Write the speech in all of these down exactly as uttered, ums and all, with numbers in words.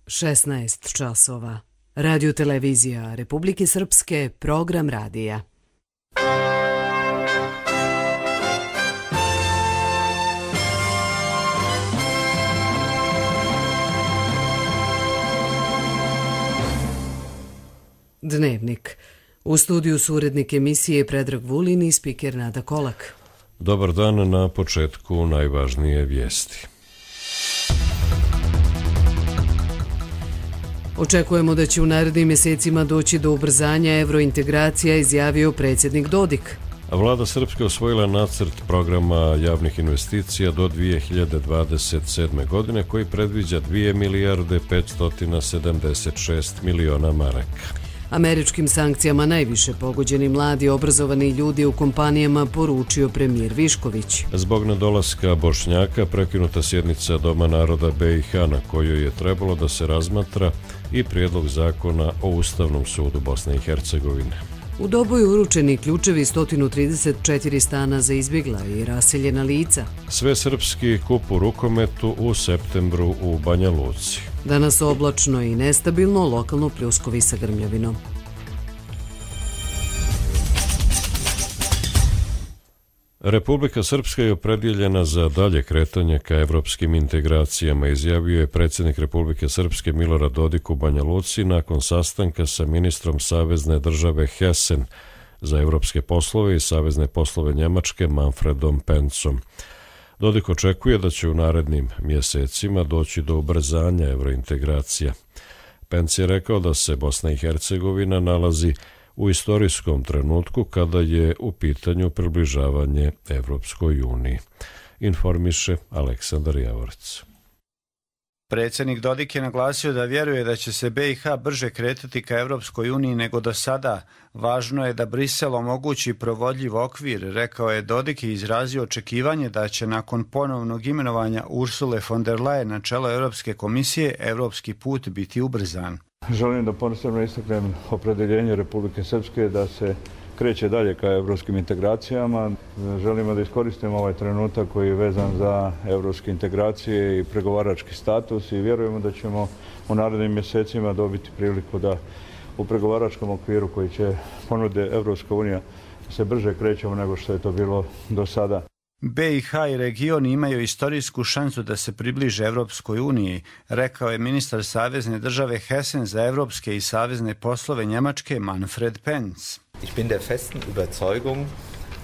šesnaest časova. Radio televizija Republike Srpske, program radija. Dnevnik. U studiju su urednik emisije Predrag Vulin i spiker Nada Kolak. Dobar dan, na početku najvažnije vijesti. Očekujemo da će u narednim mjesecima doći do ubrzanja evrointegracija, izjavio predsjednik Dodik. Vlada Srpske osvojila nacrt programa javnih investicija do dvije hiljade dvadeset sedme. godine koji predviđa dvije milijarde petsto sedamdeset šest miliona maraka. Američkim sankcijama najviše pogođeni mladi obrazovani ljudi u kompanijama, poručio premijer Višković. Zbog nedolaska Bošnjaka prekinuta sjednica Doma naroda B i H na kojoj je trebalo da se razmatra i prijedlog zakona o Ustavnom sudu Bosne i Hercegovine. U Doboju uručeni ključevi sto trideset četiri stana za izbjegla i raseljena lica. Sve srpski kup u rukometu u septembru u Banja Luci. Danas oblačno i nestabilno, lokalno pljuskovi sa grmljavinom. Republika Srpska je opredjeljena za dalje kretanje ka evropskim integracijama, izjavio je predsjednik Republike Srpske Milorad Dodik u Banja Luci nakon sastanka sa ministrom Savezne države Hessen za evropske poslove i savezne poslove Njemačke Manfredom Pencom. Dodik očekuje da će u narednim mjesecima doći do ubrzanja evrointegracija. Penc je rekao da se Bosna i Hercegovina nalazi u istorijskom trenutku kada je u pitanju približavanje Evropskoj uniji, informiše Aleksandar Javorec. Predsjednik Dodik je naglasio da vjeruje da će se B i H brže kretati ka Evropskoj uniji nego do sada. Važno je da Brisel omogući provodljiv okvir, rekao je Dodik i izrazio očekivanje da će nakon ponovnog imenovanja Ursule von der Leyen na čelo Europske komisije evropski put biti ubrzan. Želim da posebno istaknem opredjeljenje Republike Srpske da se kreće dalje ka evropskim integracijama. Želimo da iskoristimo ovaj trenutak koji je vezan za evropske integracije i pregovarački status i vjerujemo da ćemo u narednim mjesecima dobiti priliku da u pregovaračkom okviru koji će ponude Evropska unija se brže krećemo nego što je to bilo do sada. B i H i region imaju istorijsku šansu da se približe Evropskoj uniji, rekao je ministar Savezne države Hessen za evropske i savezne poslove Njemačke Manfred Penc. Ich bin der festen Überzeugung,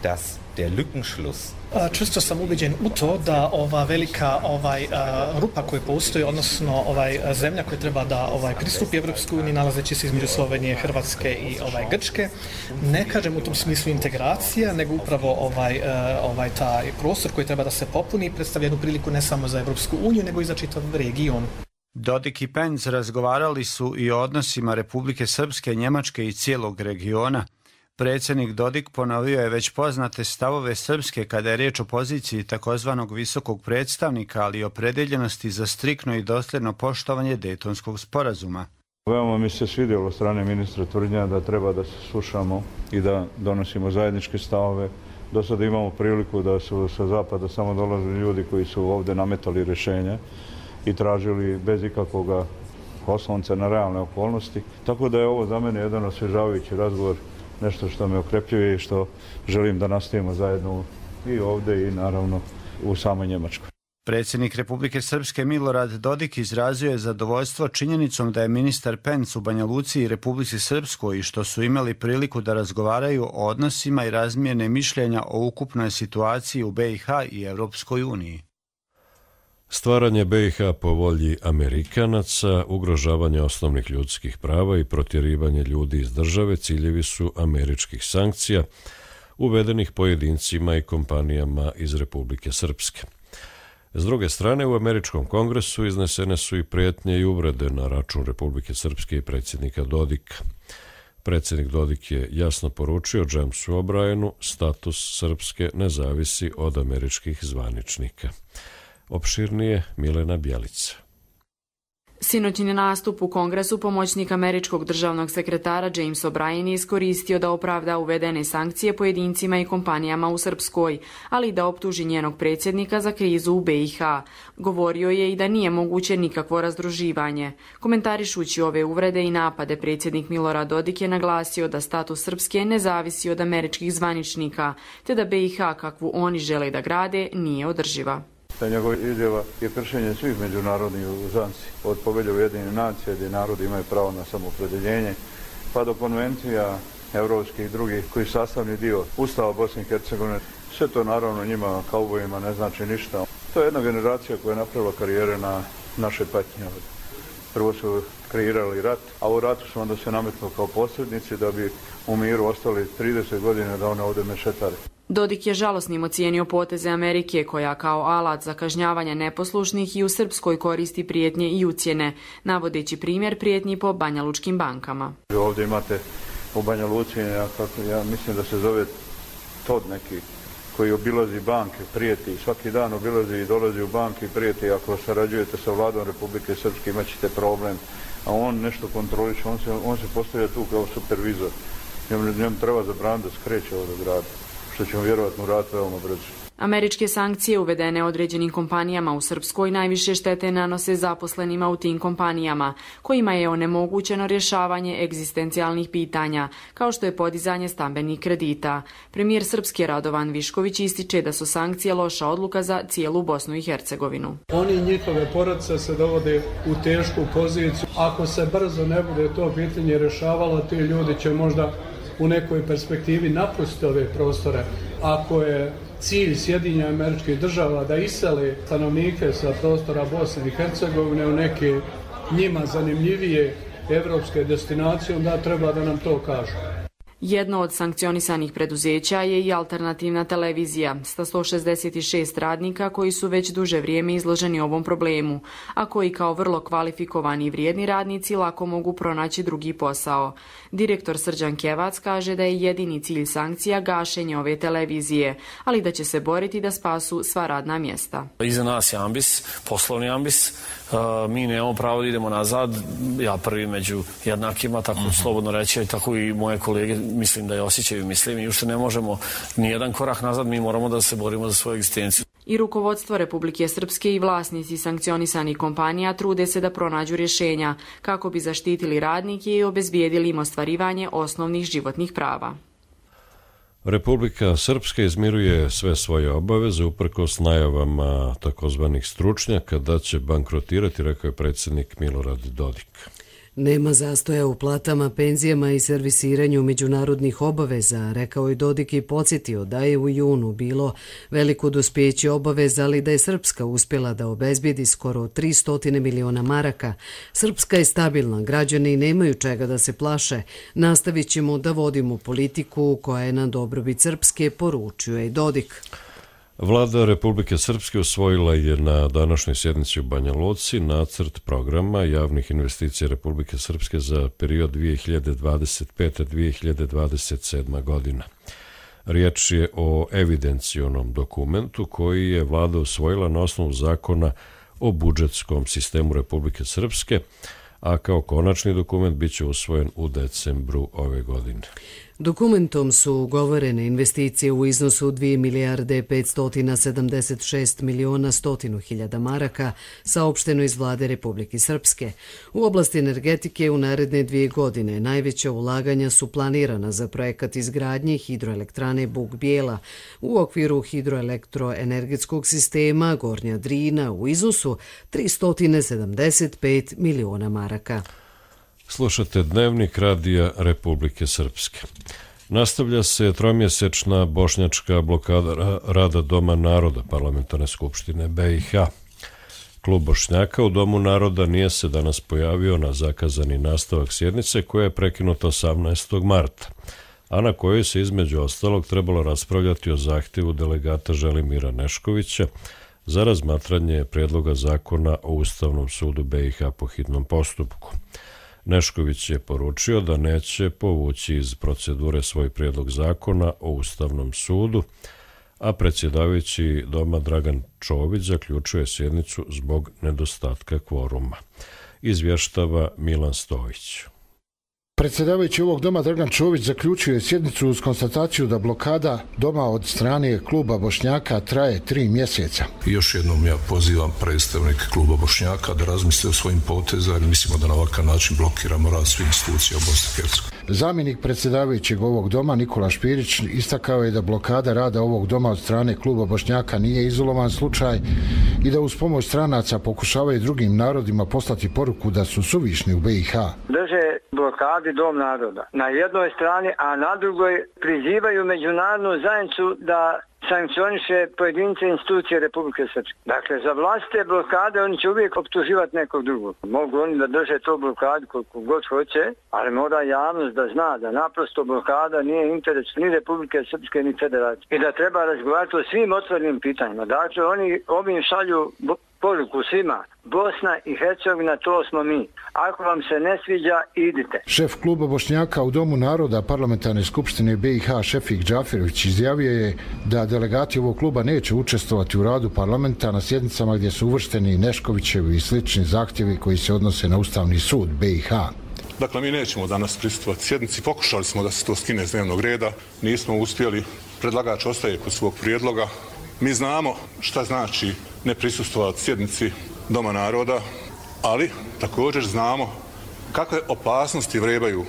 dass der Lückenschluss. Čvrsto sam ubeđen u to da ova velika ovaj uh, rupa koja postoji, odnosno ovaj zemlja koja treba da ovaj pristupi Evropskoj uniji, nalazeći se između Slovenije, Hrvatske i ovaj Grčke, ne kažem u tom smislu integracija, nego upravo ovaj uh, ovaj taj prostor koji treba da se popuni predstavlja jednu priliku ne samo za Evropsku uniju, nego i za čitav region. Dodik i Penc razgovarali su i o odnosima Republike Srpske, Njemačke i cijelog regiona. Predsjednik Dodik ponovio je već poznate stavove Srpske kada je riječ o poziciji takozvanog visokog predstavnika, ali i opredeljenosti za striktno i dosljedno poštovanje Dejtonskog sporazuma. Veoma mi se svidjelo od strane ministra tvrdnja da treba da se slušamo i da donosimo zajedničke stavove. Do sada imamo priliku da su sa zapada samo dolazili ljudi koji su ovdje nametali rješenja i tražili bez ikakvog oslonca na realne okolnosti. Tako da je ovo za mene jedan osvježavajući razgovor, nešto što me okrepljuje i što želim da nastavimo zajedno i ovdje i naravno u samoj Njemačkoj. Predsjednik Republike Srpske Milorad Dodik izrazio je zadovoljstvo činjenicom da je ministar Penc u Banja Luci i Republici Srpskoj i što su imali priliku da razgovaraju o odnosima i razmijene mišljenja o ukupnoj situaciji u B i H i Evropskoj uniji. Stvaranje B i H po volji Amerikanaca, ugrožavanje osnovnih ljudskih prava i protjerivanje ljudi iz države ciljevi su američkih sankcija uvedenih pojedincima i kompanijama iz Republike Srpske. S druge strane, u američkom kongresu iznesene su i prijetnje i uvrede na račun Republike Srpske i predsjednika Dodika. Predsjednik Dodik je jasno poručio Jamesu O'Brienu, status Srpske ne zavisi od američkih zvaničnika. Opširnije Milena Bjelica. Sinoćni nastup u Kongresu pomoćnik američkog državnog sekretara James O'Brien je iskoristio da opravda uvedene sankcije pojedincima i kompanijama u Srpskoj, ali i da optuži njenog predsjednika za krizu u B i H. Govorio je i da nije moguće nikakvo razdruživanje. Komentarišući ove uvrede i napade, predsjednik Milorad Dodik je naglasio da status Srpske ne zavisi od američkih zvaničnika, te da B i H kakvu oni žele da grade nije održiva. Ta njegova izjava je kršenje svih međunarodnih uzanci, od Povelje Ujedinjenih nacija gdje narodi imaju pravo na samoopredeljenje, pa do konvencija evropskih i drugih koji sastavni dio Ustava Bosne i Hercegovine. Sve to naravno njima, kaubojima, ne znači ništa. To je jedna generacija koja je napravila karijere na naše patnje. Prvo su kreirali rat, a u ratu su onda se nametnuli kao posrednici da bi u miru ostali trideset godina da one ovdje mešetare. Dodik je žalosnim ocijenio poteze Amerike koja kao alat za kažnjavanje neposlušnih i u Srpskoj koristi prijetnje i ucjene, navodeći primjer prijetnji po banjalučkim bankama. Ovdje imate u Banja Luci, ja, ja mislim da se zove Tod neki, koji obilazi banke, prijeti, svaki dan obilazi i dolazi u banke i prijeti, ako sarađujete sa vladom Republike Srpske imat ćete problem, a on nešto kontroliše, on se, on se postavlja tu kao supervizor. Njemu, njemu treba zabraniti da skreće ovdje grada, što ćemo vjerovatno uraditi veoma brzo. Američke sankcije uvedene određenim kompanijama u Srpskoj najviše štete nanose zaposlenima u tim kompanijama, kojima je onemogućeno rješavanje egzistencijalnih pitanja, kao što je podizanje stambenih kredita. Premijer Srpske Radovan Višković ističe da su sankcije loša odluka za cijelu Bosnu i Hercegovinu. Oni i njihove porodice se dovode u tešku poziciju. Ako se brzo ne bude to pitanje rješavalo, ti ljudi će možda u nekoj perspektivi napustiti ove prostore. Ako je cilj Sjedinjenih Američkih Država da isele stanovnike sa prostora Bosne i Hercegovine u neke njima zanimljivije evropske destinacije, onda treba da nam to kažu. Jedno od sankcionisanih preduzeća je i alternativna televizija sa sto šezdeset šest radnika koji su već duže vrijeme izloženi ovom problemu, a koji kao vrlo kvalifikovani i vrijedni radnici lako mogu pronaći drugi posao. Direktor Srđan Kevac kaže da je jedini cilj sankcija gašenje ove televizije, ali da će se boriti da spasu sva radna mjesta. Iza nas je ambis, poslovni ambis. Mi nemamo pravo da idemo nazad, ja prvi među jednakima, tako mm-hmm. slobodno reći, tako i moje kolege mislim da je osjećaju, mislim i ušte ne možemo ni jedan korak nazad, mi moramo da se borimo za svoju egzistenciju. I rukovodstvo Republike Srpske i vlasnici sankcionisanih kompanija trude se da pronađu rješenja kako bi zaštitili radnike i obezbijedili im ostvarivanje osnovnih životnih prava. Republika Srpska izmiruje sve svoje obaveze uprkos najavama takozvanih stručnjaka da će bankrotirati, rekao je predsjednik Milorad Dodik. Nema zastoja u platama, penzijama i servisiranju međunarodnih obaveza, rekao je Dodik i podsjetio da je u junu bilo veliko dospjeće obaveza, ali da je Srpska uspjela da obezbijedi skoro tristo miliona maraka. Srpska je stabilna, građani nemaju čega da se plaše. Nastavit ćemo da vodimo politiku koja je na dobrobit Srpske, poručio je Dodik. Vlada Republike Srpske usvojila je na današnjoj sjednici u Banja Luci nacrt programa javnih investicija Republike Srpske za period dvije hiljade dvadeset pete do dvije hiljade dvadeset sedme. godina. Riječ je o evidencionom dokumentu koji je vlada usvojila na osnovu zakona o budžetskom sistemu Republike Srpske, a kao konačni dokument bit će usvojen u decembru ove godine. Dokumentom su ugovorene investicije u iznosu dvije milijarde petsto sedamdeset šest miliona sto hiljada maraka, saopšteno iz vlade Republike Srpske. U oblasti energetike u naredne dvije godine najveća ulaganja su planirana za projekat izgradnje hidroelektrane Buk Bijela u okviru hidroelektroenergetskog sistema Gornja Drina u iznosu tristo sedamdeset pet miliona maraka. Slušate Dnevnik radija Republike Srpske. Nastavlja se tromjesečna bošnjačka blokada rada Doma naroda Parlamentarne skupštine B i H. Klub Bošnjaka u Domu naroda nije se danas pojavio na zakazani nastavak sjednice koja je prekinuta osamnaestog marta, a na kojoj se između ostalog trebalo raspravljati o zahtjevu delegata Želimira Neškovića za razmatranje prijedloga zakona o Ustavnom sudu B i H po hitnom postupku. Nešković je poručio da neće povući iz procedure svoj prijedlog zakona o Ustavnom sudu, a predsjedavajući Doma Dragan Čović zaključuje sjednicu zbog nedostatka kvoruma. izvještava Milan Stojić. Predsjedavajući ovog doma Dragan Čović zaključio je sjednicu uz konstataciju da blokada doma od strane kluba Bošnjaka traje tri mjeseca. Još jednom ja pozivam predstavnike kluba Bošnjaka da razmisle o svojim potezima, jer mislimo da na ovakav način blokiramo rad svih institucija u Bosni i Hercegovini. Zamjenik predsjedavajućeg ovog doma Nikola Špirić istakao je da blokada rada ovog doma od strane kluba Bošnjaka nije izolovan slučaj i da uz pomoć stranaca pokušavaju drugim narodima poslati poruku da su suvišni u B i H. Drže blokadi Dom naroda na jednoj strani, a na drugoj prizivaju međunarodnu zajednicu da sankcioniše pojedince institucije Republike Srpske. Dakle, za vlastite blokade oni će uvijek optuživati nekog drugog. Mogu oni da drže to blokadu koliko god hoće, ali mora javnost da zna da naprosto blokada nije interes ni Republike Srpske ni Federacije. I da treba razgovarati o svim otvorenim pitanjima. Dakle, oni ovim šalju poruku svima. Bosna i Hercegovina, to smo mi. Ako vam se ne sviđa, idite. Šef kluba Bošnjaka u Domu naroda Parlamentarne skupštine B i H Šefik Džafirović izjavio je da delegati ovog kluba neće učestvovati u radu parlamenta na sjednicama gdje su uvršteni Neškovićevi i slični zahtjevi koji se odnose na Ustavni sud B i H. Dakle, mi nećemo danas prisustvovati sjednici. Pokušali smo da se to skine s dnevnog reda. Nismo uspjeli. Predlagač ostaje kod svog prijedloga. Mi znamo šta znači ne prisustvovati sjednici Doma naroda, ali također znamo kakve opasnosti vrebaju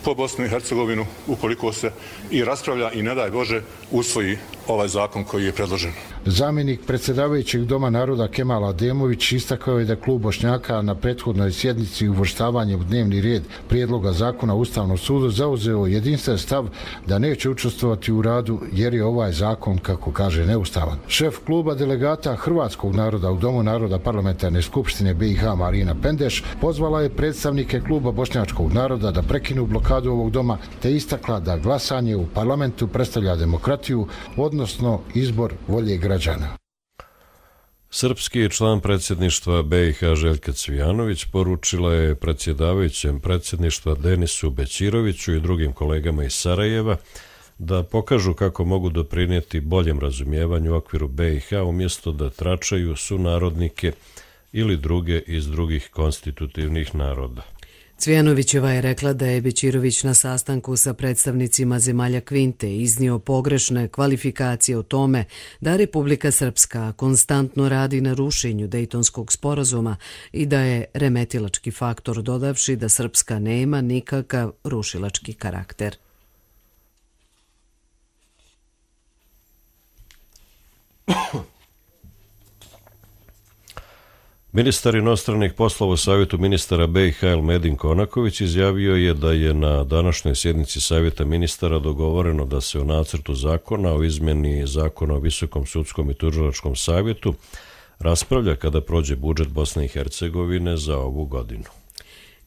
po Bosnu i Hercegovinu ukoliko se i raspravlja i ne daj Bože usvoji ovaj zakon koji je predložen. Zamjenik predsjedavajućeg Doma naroda Kemal Ademović istakao je da klub Bošnjaka na prethodnoj sjednici uvrštavanje u dnevni red prijedloga zakona Ustavnog suda zauzeo jedinstven stav da neće učestvovati u radu jer je ovaj zakon, kako kaže, neustavan. Šef kluba delegata Hrvatskog naroda u Domu naroda Parlamentarne skupštine B i H Marina Pendeš pozvala je predstavnike kluba Bošnjačkog naroda da prekinu blokadu ovog doma te istakla da glasanje u parlamentu predstavlja demokratiju, odnosno izbor volje građana. Srpski član predsjedništva B i H Željka Cvijanović poručila je predsjedavajućem predsjedništva Denisu Bećiroviću i drugim kolegama iz Sarajeva da pokažu kako mogu doprinijeti boljem razumijevanju u okviru B i H umjesto da tračaju sunarodnike ili druge iz drugih konstitutivnih naroda. Cvijanovićeva je rekla da je Bećirović na sastanku sa predstavnicima zemalja Kvinte iznio pogrešne kvalifikacije o tome da Republika Srpska konstantno radi na rušenju Dejtonskog sporazuma i da je remetilački faktor, dodavši da Srpska nema nikakav rušilački karakter. Ministar inostranih poslova u Savjetu ministara B i H Elmedin Konaković izjavio je da je na današnjoj sjednici Savjeta ministara dogovoreno da se o nacrtu zakona o izmjeni zakona o Visokom sudskom i tužilačkom savjetu raspravlja kada prođe budžet Bosne i Hercegovine za ovu godinu.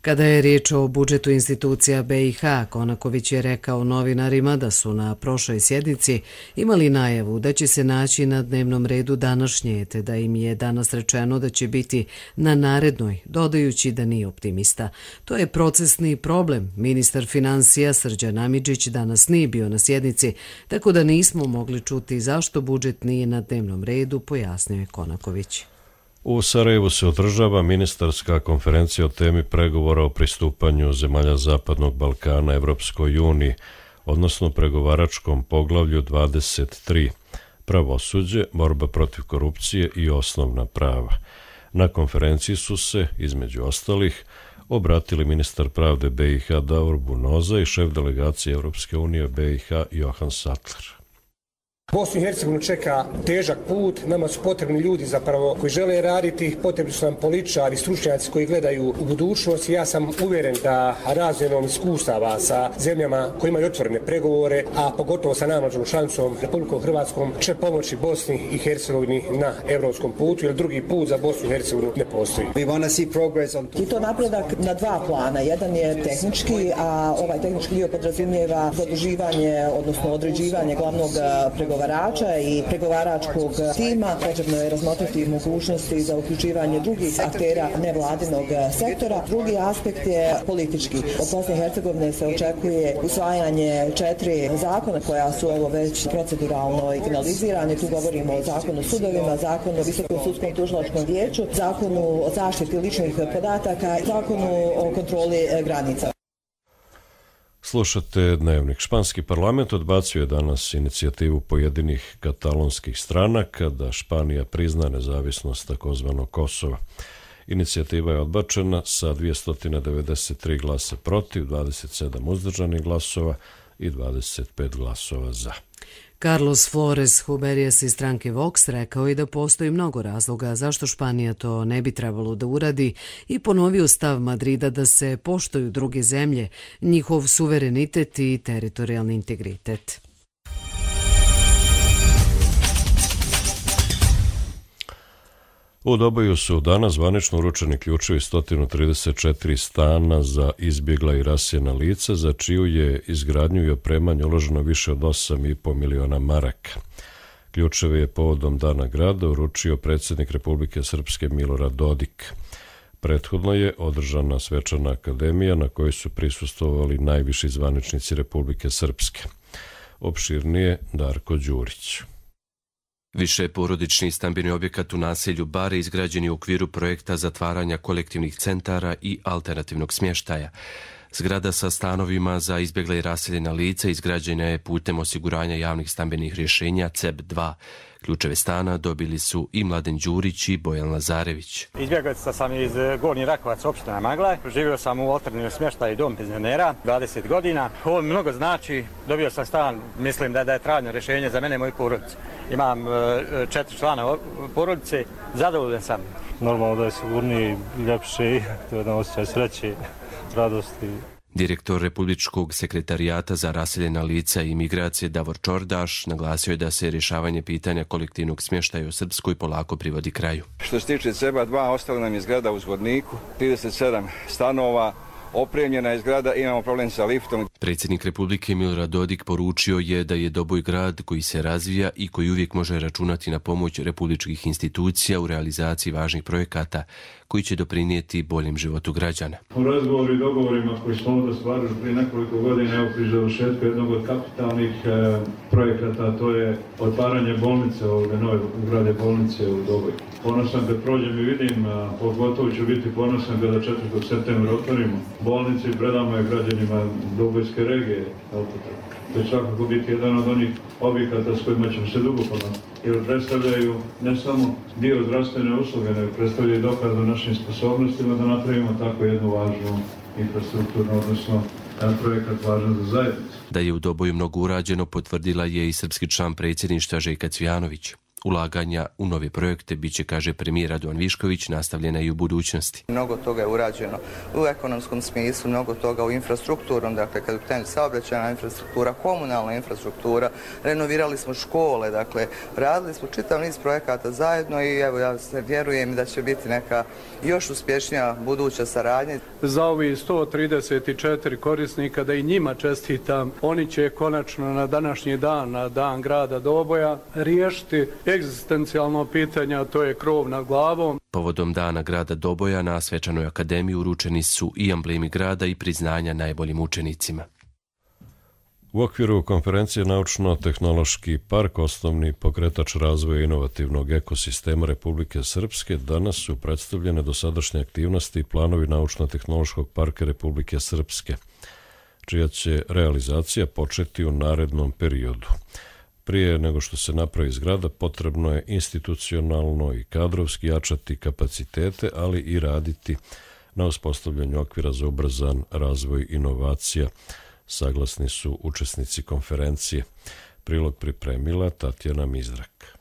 Kada je riječ o budžetu institucija B i H, Konaković je rekao novinarima da su na prošloj sjednici imali najavu da će se naći na dnevnom redu današnje, te da im je danas rečeno da će biti na narednoj, dodajući da nije optimista. To je procesni problem. Ministar financija Srđan Amidžić danas nije bio na sjednici, tako da nismo mogli čuti zašto budžet nije na dnevnom redu, pojasnio je Konaković. U Sarajevu se održava ministarska konferencija o temi pregovora o pristupanju zemalja Zapadnog Balkana Evropskoj uniji, odnosno pregovaračkom poglavlju dvadeset tri, pravosuđe, borba protiv korupcije i osnovna prava. Na konferenciji su se, između ostalih, obratili ministar pravde B i H Davor Bunoza i šef delegacije Evropske unije B i H Johan Sattler. Bosnu i Hercegovinu čeka težak put, nama su potrebni ljudi zapravo koji žele raditi, potrebni su nam političari, stručnjaci koji gledaju u budućnost. Ja sam uvjeren da razmjenom iskustava sa zemljama koji imaju otvorene pregovore, a pogotovo sa najmlađom članicom Republikom Hrvatskom, će pomoći Bosni i Hercegovini na evropskom putu, jer drugi put za Bosnu i Hercegovinu ne postoji. I to napredak na dva plana. Jedan je tehnički, a ovaj tehnički dio podrazumijeva zaduživanje, odnosno određivanje glavnog pregovora pregovarača i pregovaračkog tima. Potrebno je razmotriti mogućnosti za uključivanje drugih aktera nevladinog sektora. Drugi aspekt je politički. Od Bosne i Hercegovine se očekuje usvajanje četiri zakona koja su ovo već proceduralno finalizirane. Tu govorimo o zakonu o sudovima, zakonu o Visokom sudskom tužilačkom vijeću, zakonu o zaštiti ličnih podataka i zakonu o kontroli granica. Slušate Dnevnik. Španski parlament odbacio je danas inicijativu pojedinih katalonskih stranaka da Španija prizna nezavisnost takozvanog Kosova. Inicijativa je odbačena sa dvjesto devedeset tri glasa protiv, dvadeset sedam uzdržanih glasova i dvadeset pet glasova za. Carlos Flores Huberies iz stranke Vox rekao je da postoji mnogo razloga zašto Španija to ne bi trebalo da uradi i ponovio stav Madrida da se poštuju druge zemlje, njihov suverenitet i teritorijalni integritet. U Doboju su danas zvanično uručeni ključevi sto trideset četiri stana za izbjegla i rasijena lica, za čiju je izgradnju i opremanje uloženo više od osam i po miliona maraka. Ključeve je povodom Dana grada uručio predsjednik Republike Srpske Milorad Dodik. Prethodno je održana svečana akademija na kojoj su prisustvovali najviši zvaničnici Republike Srpske. Opširnije Darko Đurić. Više porodični stambeni objekat u naselju Bare izgrađen je u okviru projekta zatvaranja kolektivnih centara i alternativnog smještaja. Zgrada sa stanovima za izbjegla i raseljena lica izgrađena je putem osiguranja javnih stambenih rješenja C E B dva. Ključeve stana dobili su i Mladen Đurić i Bojan Lazarević. Izbjeglica sam iz Gornji Rakovac, opština Maglaj. Živio sam u alternativnom smještaju dom penzionera, dvadeset godina. Ovo mi mnogo znači, dobio sam stan, mislim da, da je trajno rješenje za mene i moju porodicu. Imam četiri člana porodice, zadovoljan sam. Normalno da je sigurniji, ljepši, to je jedan osjećaj sreće, radosti. Direktor Republičkog sekretarijata za raseljena lica i migracije Davor Čordaš naglasio je da se rješavanje pitanja kolektivnog smještaja u Srpskoj polako privodi kraju. Što se tiče C E B dva, ostala nam je zgrada u Zgodniku, trideset sedam stanova, opremljena je zgrada, imamo problem sa liftom. Predsjednik Republike Milorad Dodik poručio je da je Doboj grad koji se razvija i koji uvijek može računati na pomoć republičkih institucija u realizaciji važnih projekata koji će doprinijeti boljem životu građana. U razgovoru i dogovorima koji smo ovdje stvarili prije nekoliko godina, evo pri završetku jednog od kapitalnih e, projekata, to je otvaranje bolnice, ove nove ugrade bolnice u Doboju. Ponosan kad prođem i vidim, a pogotovo ću biti ponosan kada četvrtog septembra otvorimo bolnicu i predamo je građanima Dobojske regije. To će svakako biti jedan od onih objekata s kojima ćemo se dugo ponositi. Jer predstavljaju ne samo dio zdravstvene usluge, nego predstavljaju dokaz o našim sposobnostima da napravimo tako jednu važnu infrastrukturnu, odnosno projekat važan za zajednicu. Da je u Doboju mnogo urađeno, potvrdila je i srpski član predsjedništva Željka Cvijanović. Ulaganja u nove projekte biće, kaže premijer Radovan Višković, nastavljena i u budućnosti. Mnogo toga je urađeno u ekonomskom smislu, mnogo toga u infrastrukturnom, dakle kad je pitanje saobraćajna infrastruktura, komunalna infrastruktura, renovirali smo škole, dakle radili smo čitav niz projekata zajedno i evo ja se vjerujem da će biti neka još uspješnija buduća saradnja. Za ovi sto trideset četiri korisnika da i njima čestitam, oni će konačno na današnji dan, na dan grada Doboja, riješiti egzistencijalno pitanje, a to je krov nad glavom. Povodom dana grada Doboja na svečanoj akademiji uručeni su i amblemi grada i priznanja najboljim učenicima. U okviru konferencije Naučno-tehnološki park, osnovni pokretač razvoja inovativnog ekosistema Republike Srpske, danas su predstavljene dosadašnje aktivnosti i planovi Naučno-tehnološkog parka Republike Srpske, čija će realizacija početi u narednom periodu. Prije nego što se napravi zgrada, potrebno je institucionalno i kadrovski jačati kapacitete, ali i raditi na uspostavljanju okvira za ubrzan razvoj inovacija, saglasni su učesnici konferencije. Prilog pripremila Tatjana Mizrak.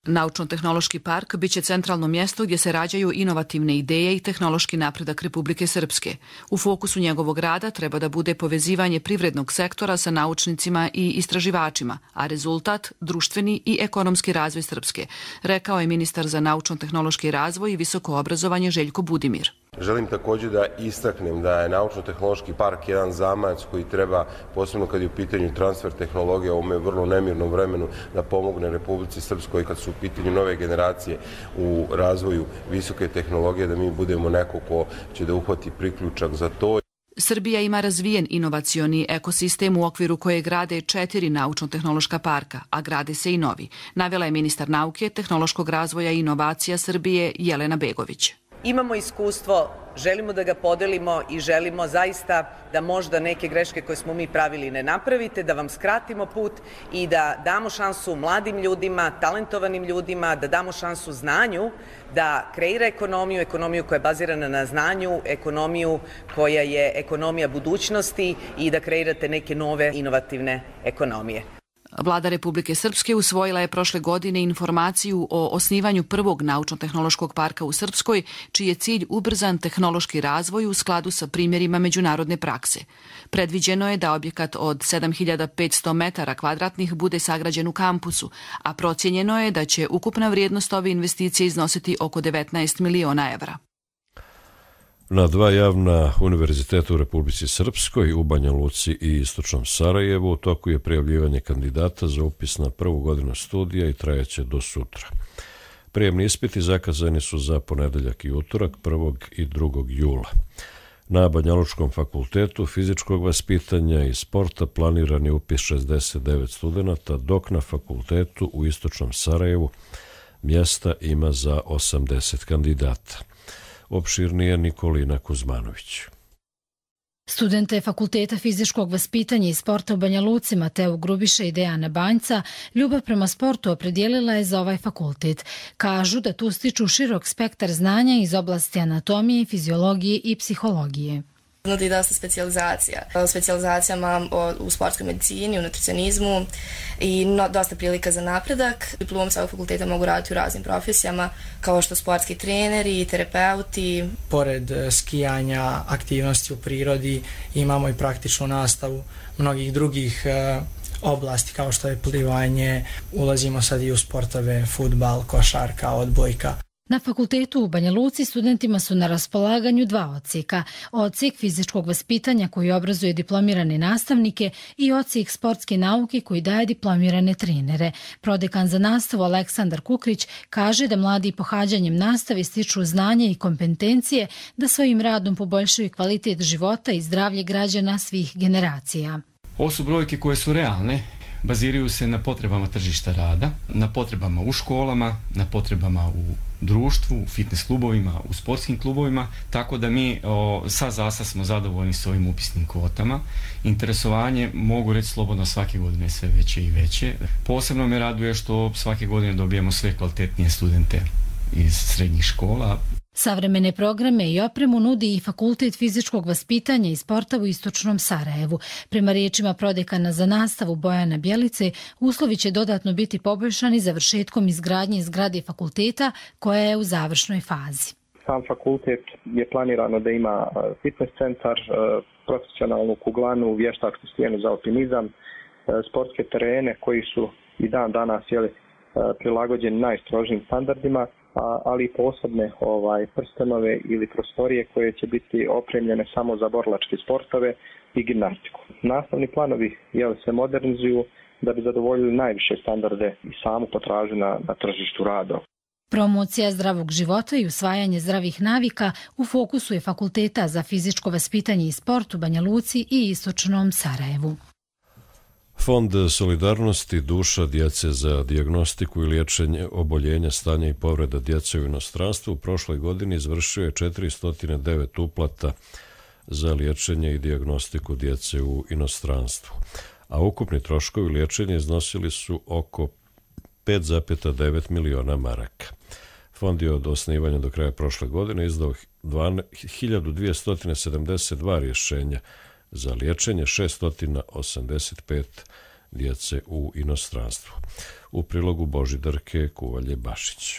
Naučno-tehnološki park biće centralno mjesto gdje se rađaju inovativne ideje i tehnološki napredak Republike Srpske. U fokusu njegovog rada treba da bude povezivanje privrednog sektora sa naučnicima i istraživačima, a rezultat društveni i ekonomski razvoj Srpske, rekao je ministar za naučno-tehnološki razvoj i visoko obrazovanje Željko Budimir. Želim također da istaknem da je Naučno-tehnološki park jedan zamajac koji treba, posebno kad je u pitanju transfer tehnologije u ovome vrlo nemirnom vremenu, da pomogne Republici Srpskoj kad su u pitanju nove generacije u razvoju visoke tehnologije, da mi budemo neko ko će da uhvati priključak za to. Srbija ima razvijen inovacioni ekosistem u okviru koje grade četiri naučno-tehnološka parka, a grade se i novi, navela je ministar nauke, tehnološkog razvoja i inovacija Srbije Jelena Begović. Imamo iskustvo, želimo da ga podelimo i želimo zaista da možda neke greške koje smo mi pravili ne napravite, da vam skratimo put i da damo šansu mladim ljudima, talentovanim ljudima, da damo šansu znanju, da kreira ekonomiju, ekonomiju koja je bazirana na znanju, ekonomiju koja je ekonomija budućnosti i da kreirate neke nove inovativne ekonomije. Vlada Republike Srpske usvojila je prošle godine informaciju o osnivanju prvog naučno-tehnološkog parka u Srpskoj, čiji je cilj ubrzan tehnološki razvoj u skladu sa primjerima međunarodne prakse. Predviđeno je da objekat od sedam hiljada petsto metara kvadratnih bude sagrađen u kampusu, a procijenjeno je da će ukupna vrijednost ove investicije iznositi oko devetnaest miliona evra. Na dva javna univerziteta u Republici Srpskoj, u Banja Luci i Istočnom Sarajevu, u toku je prijavljivanje kandidata za upis na prvu godinu studija i trajaće do sutra. Prijemni ispiti zakazani su za ponedeljak i utorak, prvog i drugog jula. Na Banja Lučkom fakultetu fizičkog vaspitanja i sporta planiran je upis šezdeset devet studenata, dok na fakultetu u Istočnom Sarajevu mjesta ima za osamdeset kandidata. Opširnije Nikolina Kuzmanović. Studente Fakulteta fizičkog vaspitanja i sporta u Banja Luci Mateo Grubiša i Dejana Banjca ljubav prema sportu opredijelila je za ovaj fakultet. Kažu da tu stiču širok spektar znanja iz oblasti anatomije, fiziologije i psihologije. Nudi dosta specijalizacija. Specijalizacijama u sportskoj medicini, u nutricionizmu i no, dosta prilika za napredak. Diplom sa ovog fakulteta mogu raditi u raznim profesijama, kao što sportski treneri, terapeuti. Pored skijanja, aktivnosti u prirodi, imamo i praktičnu nastavu mnogih drugih oblasti, kao što je plivanje. Ulazimo sad i u sportove, fudbal, košarka, odbojka. Na fakultetu u Banja Luci studentima su na raspolaganju dva odsjeka. Odsjek fizičkog vaspitanja koji obrazuje diplomirane nastavnike i odsjek sportske nauke koji daje diplomirane trenere. Prodekan za nastavu Aleksandar Kukrić kaže da mladi pohađanjem nastave stiču znanje i kompetencije da svojim radom poboljšaju kvalitet života i zdravlje građana svih generacija. Ovo su brojke koje su realne. Baziraju se na potrebama tržišta rada, na potrebama u školama, na potrebama u društvu, u fitness klubovima, u sportskim klubovima, tako da mi o, sa zasa smo zadovoljni s ovim upisnim kvotama. Interesovanje, mogu reći slobodno, svake godine sve veće i veće. Posebno me raduje što svake godine dobijemo sve kvalitetnije studente iz srednjih škola. Savremene programe i opremu nudi i Fakultet fizičkog vaspitanja i sporta u Istočnom Sarajevu. Prema riječima prodekana za nastavu Bojana Bjelice, uslovi će dodatno biti poboljšani završetkom izgradnje zgrade fakulteta koja je u završnoj fazi. Sam fakultet je planirano da ima fitness centar, profesionalnu kuglanu, vještačku stijenu za alpinizam, sportske terene koji su i dan danas jeli, prilagođeni najstrožijim standardima, ali i posebne ovaj, prstenove ili prostorije koje će biti opremljene samo za borilačke sportove i gimnastiku. Nastavni planovi jel, se modernizuju da bi zadovoljili najviše standarde i samu potražnju na, na tržištu rada. Promocija zdravog života i usvajanje zdravih navika u fokusu je Fakulteta za fizičko vaspitanje i sport u Banja Luci i Istočnom Sarajevu. Fond solidarnosti duša djece za dijagnostiku i liječenje oboljenja, stanja i povreda djece u inostranstvu u prošloj godini izvršio je četiristo devet uplata za liječenje i dijagnostiku djece u inostranstvu, a ukupni troškovi liječenja iznosili su oko pet zarez devet miliona maraka. Fond je od osnivanja do kraja prošle godine izdao hiljadu dvjesto sedamdeset dva rješenja za liječenje šesto osamdeset pet djece u inostranstvu. U prilogu Božidarke Kuvalje Bašić.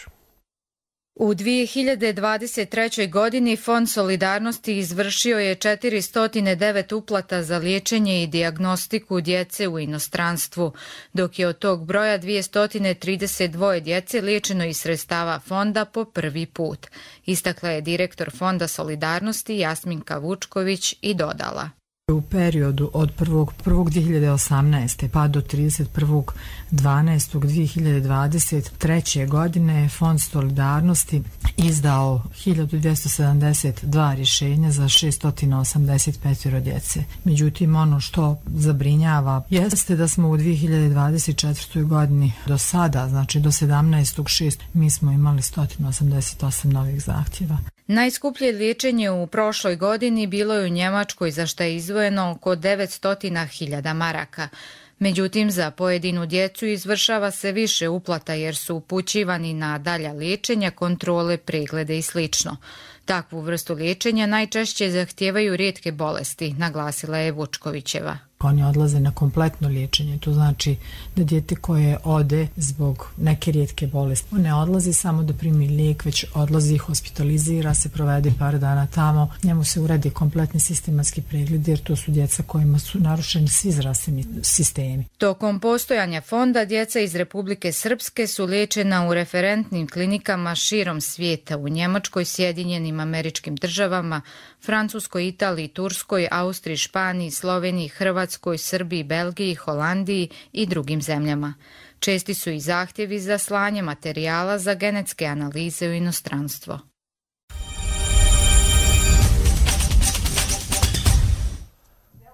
U dvije hiljade dvadeset trećoj. godini Fond solidarnosti izvršio je četiristo devet uplata za liječenje i dijagnostiku djece u inostranstvu, dok je od tog broja dvjesto trideset dva djece liječeno iz sredstava fonda po prvi put. Istakla je direktor Fonda solidarnosti Jasminka Vučković i dodala. U periodu od prvog prvog dvije hiljade osamnaeste. pa do trideset prvog dvanaestog dvije hiljade dvadeset treće. godine Fond solidarnosti izdao hiljadu dvjesto sedamdeset dva rješenja za šesto osamdeset pet djece. Međutim, ono što zabrinjava jeste da smo u dvije hiljade dvadeset četvrtoj. godini do sada, znači do sedamnaestog šestog mi smo imali sto osamdeset osam novih zahtjeva. Najskuplje liječenje u prošloj godini bilo je u Njemačkoj, za što je izdvojeno oko devetsto hiljada maraka. Međutim, za pojedinu djecu izvršava se više uplata jer su upućivani na dalja liječenja, kontrole, preglede i sl. Takvu vrstu liječenja najčešće zahtijevaju rijetke bolesti, naglasila je Vučkovićeva. Oni odlaze na kompletno liječenje, to znači da dijete koje ode zbog neke rijetke bolesti ne odlazi samo da primi lijek, već odlazi, hospitalizira se, provede par dana tamo, njemu se uredi kompletni sistematski pregled jer to su djeca kojima su narušeni svi zdravstveni sistemi. Tokom postojanja fonda djeca iz Republike Srpske su liječena u referentnim klinikama širom svijeta, u Njemačkoj, Sjedinjenim Američkim Državama, Francuskoj, Italiji, Turskoj, Austriji, Španiji, Sloveniji, Hrvatskoj, Srbiji, Belgiji, Holandiji i drugim zemljama. Česti su i zahtjevi za slanje materijala za genetske analize u inostranstvo.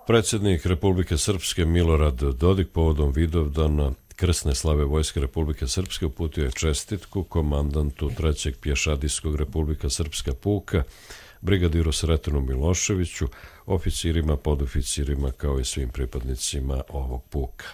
Predsjednik Republike Srpske Milorad Dodik povodom Vidovdana krsne slave Vojske Republike Srpske uputio je čestitku komandantu trećeg pješadijskog Republika Srpska puka, brigadiru Sretenu Miloševiću, oficirima, podoficirima kao i svim pripadnicima ovog puka.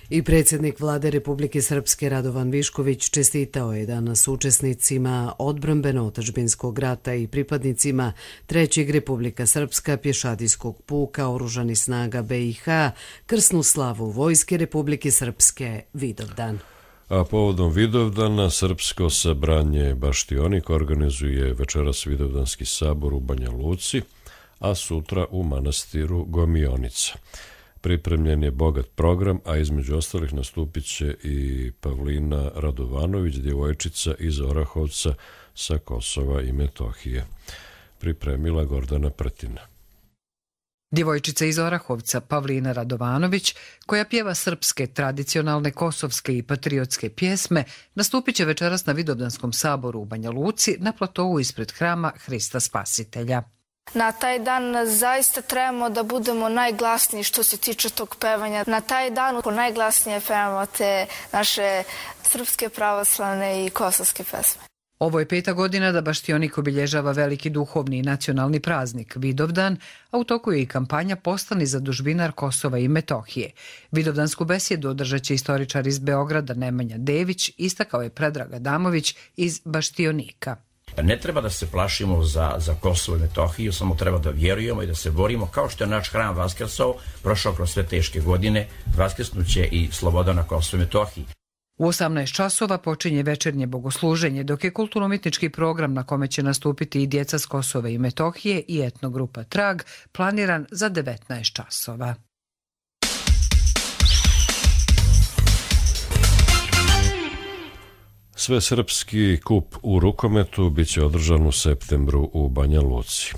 I predsjednik Vlade Republike Srpske Radovan Višković čestitao je danas učesnicima odbrambeno-otadžbinskog rata i pripadnicima trećeg Republika Srpska pješadijskog puka Oružanih snaga be i ha krsnu slavu Vojske Republike Srpske Vidovdan. A povodom Vidovdana Srpsko sabranje Baštionik organizuje večeras Vidovdanski sabor u Banja Luci, a sutra u manastiru Gomionica. Pripremljen je bogat program, a između ostalih nastupit će i Pavlina Radovanović, djevojčica iz Orahovca sa Kosova i Metohije. Pripremila Gordana Pretina. Djevojčica iz Orahovca Pavlina Radovanović, koja pjeva srpske, tradicionalne, kosovske i patriotske pjesme, nastupit će večeras na Vidovdanskom saboru u Banja Luci na platovu ispred hrama Hrista Spasitelja. Na taj dan zaista trebamo da budemo najglasniji što se tiče tog pevanja. Na taj dan najglasnije pevamo te naše srpske, pravoslavne i kosovske pesme. Ovo je peta godina da Baštionik obilježava veliki duhovni i nacionalni praznik Vidovdan, a u toku je i kampanja Postani zadužbinar Kosova i Metohije. Vidovdansku besjedu održat će istoričar iz Beograda Nemanja Dević, istakao je Predrag Adamović iz Baštionika. Ne treba da se plašimo za, za Kosovo i Metohiju, samo treba da vjerujemo i da se borimo. Kao što je naš hram vaskrsao, prošao kroz sve teške godine, vaskrsnuće i sloboda na Kosovo i Metohiji. U osamnaest časova počinje večernje bogosluženje, dok je kulturno-umjetnički program na kome će nastupiti i djeca s Kosova i Metohije i etnogrupa Trag planiran za devetnaest časova. Svesrpski kup u rukometu biće održan u septembru u Banja Luci.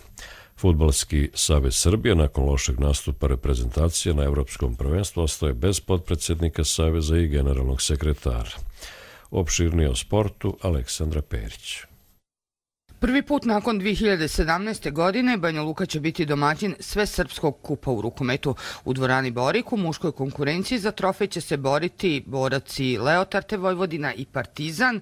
Fudbalski savez Srbije nakon lošeg nastupa reprezentacije na Evropskom prvenstvu ostaje bez potpredsjednika saveza i generalnog sekretara. Opširnije o sportu Aleksandra Perić. Prvi put nakon dvije hiljade sedamnaeste. godine Banja Luka će biti domaćin Svesrpskog kupa u rukometu. U dvorani Borik u muškoj konkurenciji za trofej će se boriti boraci Leotarte Vojvodina i Partizan,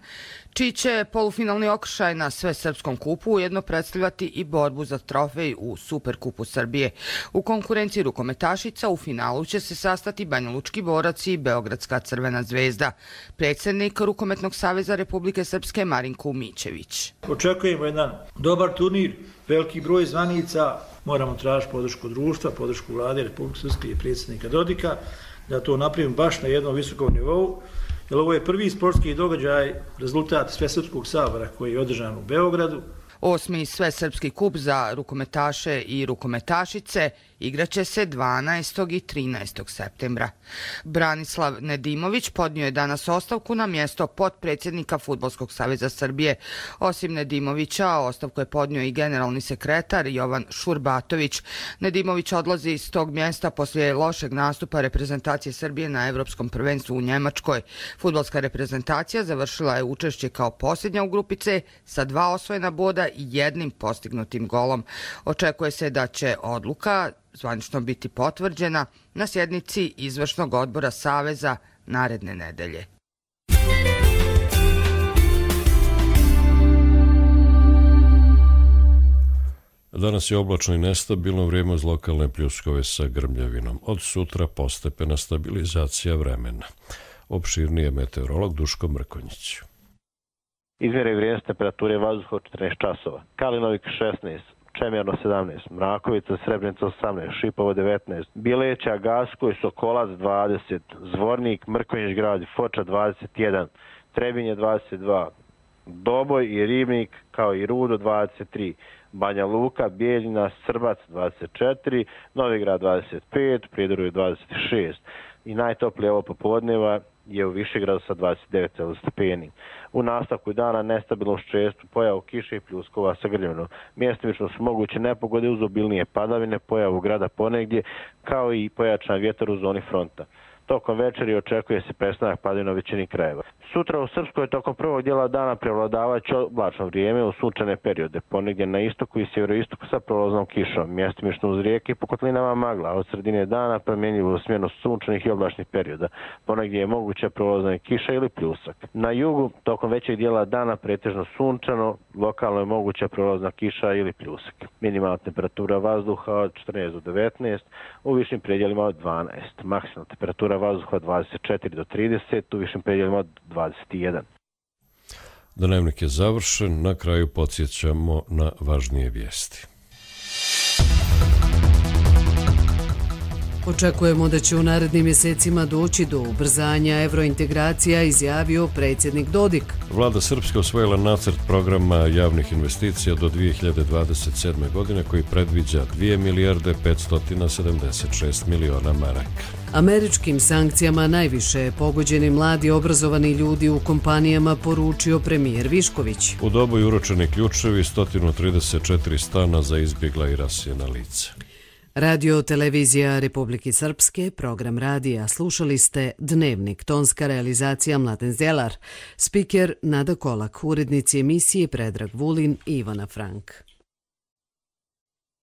čiji će polufinalni okršaj na Svesrpskom kupu ujedno predstavljati i borbu za trofej u Superkupu Srbije. U konkurenciji rukometašica u finalu će se sastati banjalučki borac i Beogradska Crvena zvezda. Predsjednik Rukometnog saveza Republike Srpske Marinko Umićević. Očekujemo jedan dobar turnir, veliki broj zvanica, moramo tražiti podršku društva, podršku vlade Republike Srpske i predsjednika Dodika, da to napravimo baš na jednom visokom nivou jer ovo je prvi sportski događaj, rezultat Svesrpskog sabora koji je održan u Beogradu. Osmi svesrpski kup za rukometaše i rukometašice igraće se dvanaestog i trinaestog septembra. Branislav Nedimović podnio je danas ostavku na mjesto potpredsjednika Fudbalskog saveza Srbije. Osim Nedimovića, ostavku je podnio i generalni sekretar Jovan Šurbatović. Nedimović odlazi iz tog mjesta poslije lošeg nastupa reprezentacije Srbije na Evropskom prvenstvu u Njemačkoj. Fudbalska reprezentacija završila je učešće kao posljednja u grupi C sa dva osvojena boda i jednim postignutim golom. Očekuje se da će odluka zvanično biti potvrđena na sjednici izvršnog odbora Saveza naredne nedelje. Danas je oblačno i nestabilno vrijeme uz lokalne pljuskove sa grmljavinom. Od sutra postepena stabilizacija vremena. Opširnije meteorolog Duško Mrkonjić. Izmjere vrijednost temperature vazduha od četrnaest časova. Kalinovik šesnaest, Čemerno sedamnaest, Mrakovica, Srebrenica osamnaest, Šipovo devetnaest, Bileća, Gaskoj, Sokolac dvadeset, Zvornik, Mrkonjić grad i Foča dvadeset jedan, Trebinje dvadeset dva, Doboj i Ribnik kao i Rudo dvadeset tri, Banja Luka, Bijeljina, Srbac dvadeset četiri, Novigrad dvadeset pet, Prijedor dvadeset šest i najtoplije ovo popodneva je u Višegradu sa dvadeset devet stepeni. U nastavku dana nestabilnost često, pojavu kiše i pljuskova sa grljavinom. Mjestimično su moguće nepogode uz obilnije padavine, pojavu grada ponegdje, kao i pojačan vjetar u zoni fronta. Tokom večeri očekuje se prestanak padavina u većini krajeva. Sutra u Srpskoj tokom prvog dijela dana prevladavaće oblačno vrijeme u sunčane periode, ponegdje na istoku i sjeveroistoku sa prolaznom kišom, mjestimično uz rijeke i po kotlinama magla, od sredine dana promjenjivo smjerno sunčanih i oblačnih perioda, ponegdje je moguća prolazna kiša ili pljusak. Na jugu tokom većeg dijela dana pretežno sunčano, lokalno je moguća prolazna kiša ili pljusak. Minimalna temperatura vazduha od četrnaest do devetnaest, u višim predjelima od dvanaest, maksimalna temperatura vazduha dvadeset četiri do trideset, u višim predjelima od dvadeset jedan. Dnevnik je završen, na kraju podsjećamo na važnije vijesti. Očekujemo da će u narednim mjesecima doći do ubrzanja evrointegracija, izjavio predsjednik Dodik. Vlada Srpske osvojila nacrt programa javnih investicija do dvije hiljade dvadeset sedme. godine koji predviđa dvije milijarde petsto sedamdeset šest miliona maraka. Američkim sankcijama najviše pogođeni mladi obrazovani ljudi u kompanijama, poručio premijer Višković. U dobu je uručeni ključevi sto trideset četiri stana za izbjegla i rasijena lica. Radio televizija Republike Srpske, program radija. Slušali ste Dnevnik, tonska realizacija Mladen Zelar, spiker Nada Kolak, urednici emisije Predrag Vulin i Ivana Frank.